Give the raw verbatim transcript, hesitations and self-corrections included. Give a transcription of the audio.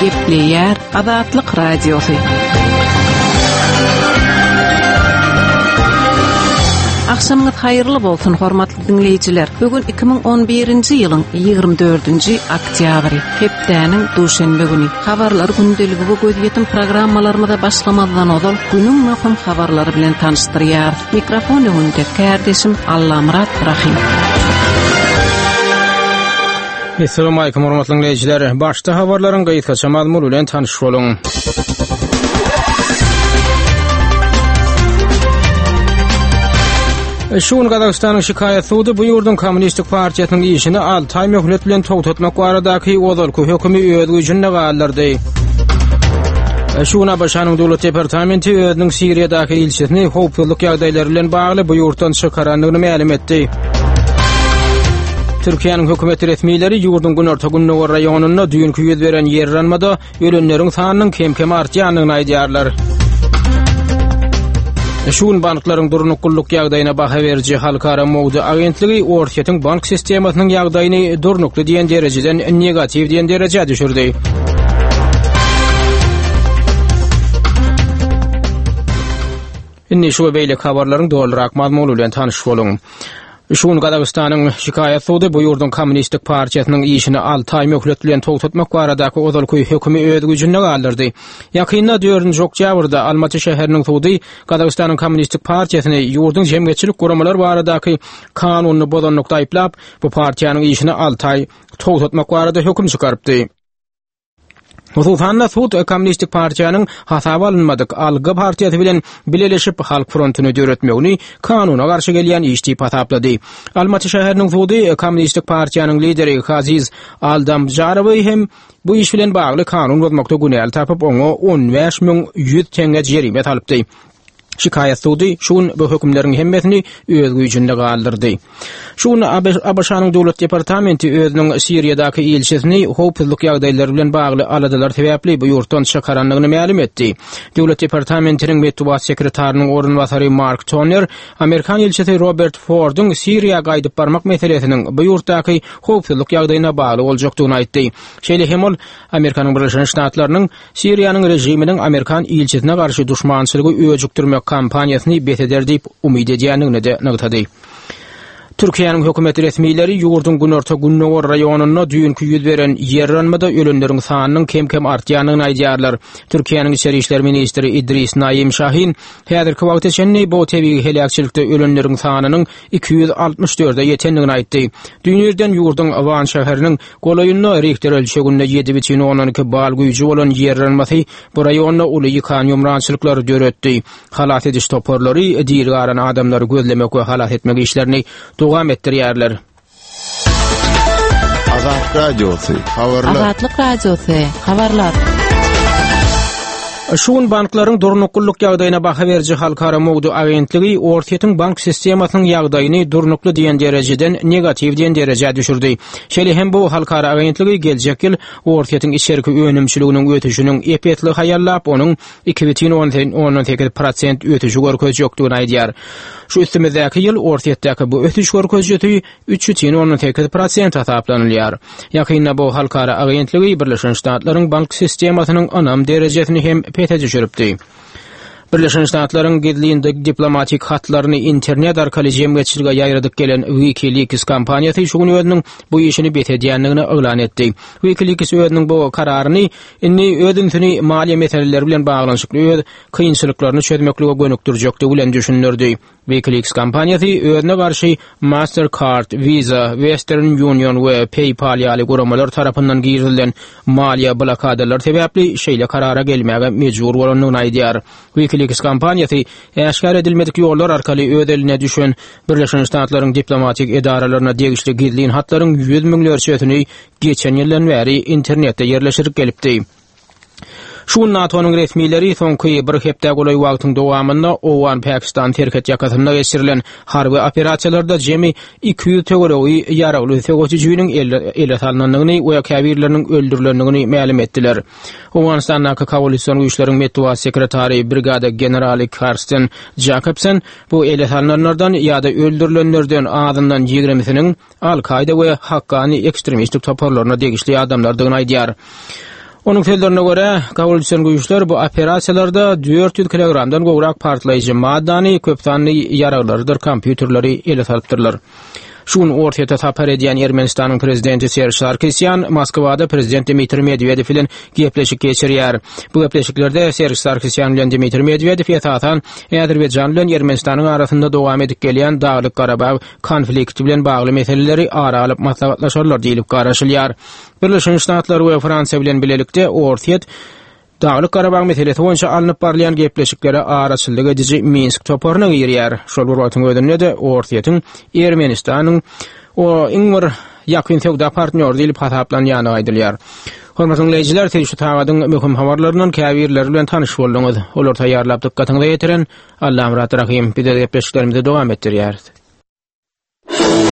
Gepleýär Azatlyk Radiosy. Akşamyňyz haýyrly bolsun hormatly dinleýjiler. Bugün iki müň on birinji ýylyň ýigrimi dördünji oktýabry, hepdäniň duşenbe güni. Habarlar gündeligi we gözýetim programmalarymyza başlamazdan ozal günüň möhüm habarlary bilen tanyşdyrýar. Mikrofon öňünde kärdeşim Allamyrat Rahim. Assalamu alaykum hormatly dinleýjiler. Başda habarlaryň gysgaça mazmuny bilen tanyş boluň. Şu gün Gazagystanyň şikaýat sudy bu ýurduň Kommunistik partiýasynyň işini alty aý möhlet bilen togtatmak baradaky ozalky hökümi öz güýjünde galdyrdy. Şu gün A B Ş-nyň Döwlet Departamenti özüniň Siriýadaky ilçisini howpsuzlyk ýagdaýlary bilen bagly bu ýurtdan çykarandygyny mälim etdi. Türkiýäniň hökümet resmileri ýurduň günorta-gündogar raýonynda düýnki ýüz beren ýer yranmada ölenleriň sanynyň kem-kem artýandygyny aýdýarlar. Şu gün banklaryň durnuklylyk ýagdaýyna baha beriji Halkara Mowdy agentligi Orsýetiň bank sistemasynyň ýagdaýyny durnukly diýen derejeden negatiw diýen derejä düşürdi. Indi şu we beýleki habarlaryň dolurak mazmuny bilen tanyş boluň. Şu gün Gazagystanyň şikaýat sudy bu ýurduň Kommunistik partiýasynyň işini alty aý möhlet bilen togtatmak baradaky ozalky hökümi öz güýjünde galdyrdy. Ýakynda dördünji oktýabrda Almaty şäheriniň sudy Gazagystanyň Kommunistik partiýasyny ýurduň jemgyýetçilik guramalary baradaky kanunyny bozanlykda aýyplap, bu partiýanyň işini alty aý togtatmak barada höküm çykarypdy. Hususan-da sud Kommunistik partiýanyň hasaba alynmadyk Alga partiýasy bilen bileleşip Halk frontuny döretmegini kanuna garşy gelýän iş diýip hasaplady. Almaty şäheriniň sudy Kommunistik partiýanyň lideri Haziz Aldamjarowy hem bu iş bilen bagly kanun bozmakda günäli tapyp, oňa on bäş müň ýüz teňňe jerime salypdy. Şikaýat sudy şu gün bu hökümleriň hemmesini öz güýjünde galdyrdy. Şu gün A B Ş-nyň Döwlet Departamenti özüniň Siriýadaky ilçisini howpsuzlyk ýagdaýlary bilen bagly aladalar sebäpli bu ýurtdan çykarandygyny mälim etdi. Döwlet Departamentiniň metbugat sekretarynyň orunbasary Mark Toner, Amerikan ilçisi Robert Forduň Siriýa gaýdyp barmak meselesiniň bu ýurtdaky howpsuzlyk ýagdaýyna bagly boljakdygyny aýtdy. Şeýle hem ol Amerikanyň Birleşen Ştatlarynyň Siriýanyň režiminiň Amerikan ilçisine garşy duşmançylygy öjükdirmek kampaniýasyny bes eder diýip umyt edýändigini de nygtady. Türkiýäniň hökümet resmileri ýurduň günorta-gündogar raýonynda düýnki ýüz beren ýer yranmada ölenleriň sanynyň kem-kem artýandygyny aýdýarlar. Türkiýäniň içeri işler ministri Idris Naim Şahin häzirki wagta çenli bu tebigy heläkçilikde ölenleriň sanynyň iki ýüz altmyş dörde ýetendigini aýtdy. Düýn irden ýurduň Wan şäheriniň golaýynda Richter ölçeginde ýedi bütin ondan iki bal güýji bolan ýer yranmasy bu raýonda uly ýykan ýumrançylyklary döretdi. Halas ediş toparlary diri galan adamlary gözlemek we halas etmek işlerini dowam etdirýärler. Azatlyk Radiosy, habarlar. Azatlyk Radiosy, habarlar. Şu gün banklaryň durnuklylyk ýagdaýyna baha beriji Halkara Mowdy agentligi Orsýetiň bank sistemasynyň ýagdaýyny durnukly diýen derejeden negatiw diýen derejä düşürdi. Şeýle hem bu halkara agentligi geljek ýyl Orsýetiň içerki önümçiliginiň ösüşiniň ep-esli haýallap, onuň iki bütin ondan sekiz prosent ösüşi görkezjekdigini aýdýar. Şu üstümizdäki ýyl Orsýetdäki bu ösüş görkezijisi üç bütin ondan sekiz prosent hasaplanylýar. Ýakynda bu halkara agentligi Birleşen Ştatlaryň bank sistemasynyň ynam derejesini hem pese düşüripdi. Birleşen Ştatlaryň gizlin diplomatik hatlaryny internet arkaly jemgyýetçilige ýaýradyp gelen WikiLeaks kompaniýasy şu gün özüniň bu işini bes edýändigini yglan etdi. WikiLeaks özüniň bu kararyny indi öz ünsüni maliýe meseleleri bilen baglanyşykly öz kynçylyklaryny çözmeklige gönükdirjekdigi bilen düşündirdi. WikiLeaks kompaniýasy özüne garşy Mastercard, Visa, Western Union we PayPal ýaly guramalar tarapyndan girizilen maliýe blokadalary sebäpli şeýle karara gelmäge mejbur bolandygyny aýdýar. WikiLeaks kompaniýasy äşgär edilmedik ýollar arkaly öz eline düşen Birleşen Ştatlaryň diplomatik edaralaryna degişli gizlin hatlaryň ýüz müňlerçesini geçen ýyldan bäri internetde ýerleşdirip gelipdi. Şu gün NATO-nyň resmileri soňky bir hepde golaý wagtyň dowamynda Owgan-Pakistan serhet ýakasynda geçirilen harby operasiýalarda jemi iki ýüz töweregi ýaragly söweşijiniň ele, ele salnandygyny we käbirleriniň öldürilendigini mälim etdiler. Owganystandaky koalision güýçleriň metbugat sekretary brigada generaly Karsten Jakobsen bu ele salnanlardan ýa-da öldürilenlerden azyndan ýigrimisiniň Al-Kaida we Hakkani ekstremistik toparlaryna degişli adamlardygyny aýdýar. Onuň sözlerine görä, kabul düşen güýçler bu operasiýalarda dört ýüz kilogramdan gowrak partlaýjy maddany, köp sanly ýaraglarydyr kompýuterleri ele salypdyrlar. Şu gün Orsýete sapar edýän Ermenistanyň prezidenti Serj Sarkisýan Moskwada prezident Dmitriý Medwedew bilen gepleşik geçirýär. Bu gepleşiklerde Serj Sarkisýan bilen Dmitriý Medwedew esasan Azerbaýjan bilen Ermenistanyň arasynda dowam edip gelýän Daglyk Garabag konflikti bilen bagly meseleleri ara alyp maslahatlaşarlar diýilip garaşylýar. Birleşen Ştatlar we Fransiýa bilen bilelikde Orsýet Daglyk Garabag meselesi boýunça alnyp barylýan gepleşiklere araçyllyk ediji Minsk toparyna girýär. Şol bir wagtyň özünde-de Orsýetiň Ermenistanyň o iň bir ýakyn söwda partnýory diýlip hasaplanýany aýdylýar. Hormatly dinleýjiler, siz şu sagadyň möhüm habarlaryndan käbirleri bilen tanyş bolduňyz. Olar taýýarlap dykgatyňyza ýetiren Allamyrat Rahim. Biz gepleşiklerimizi dowam etdirýäris.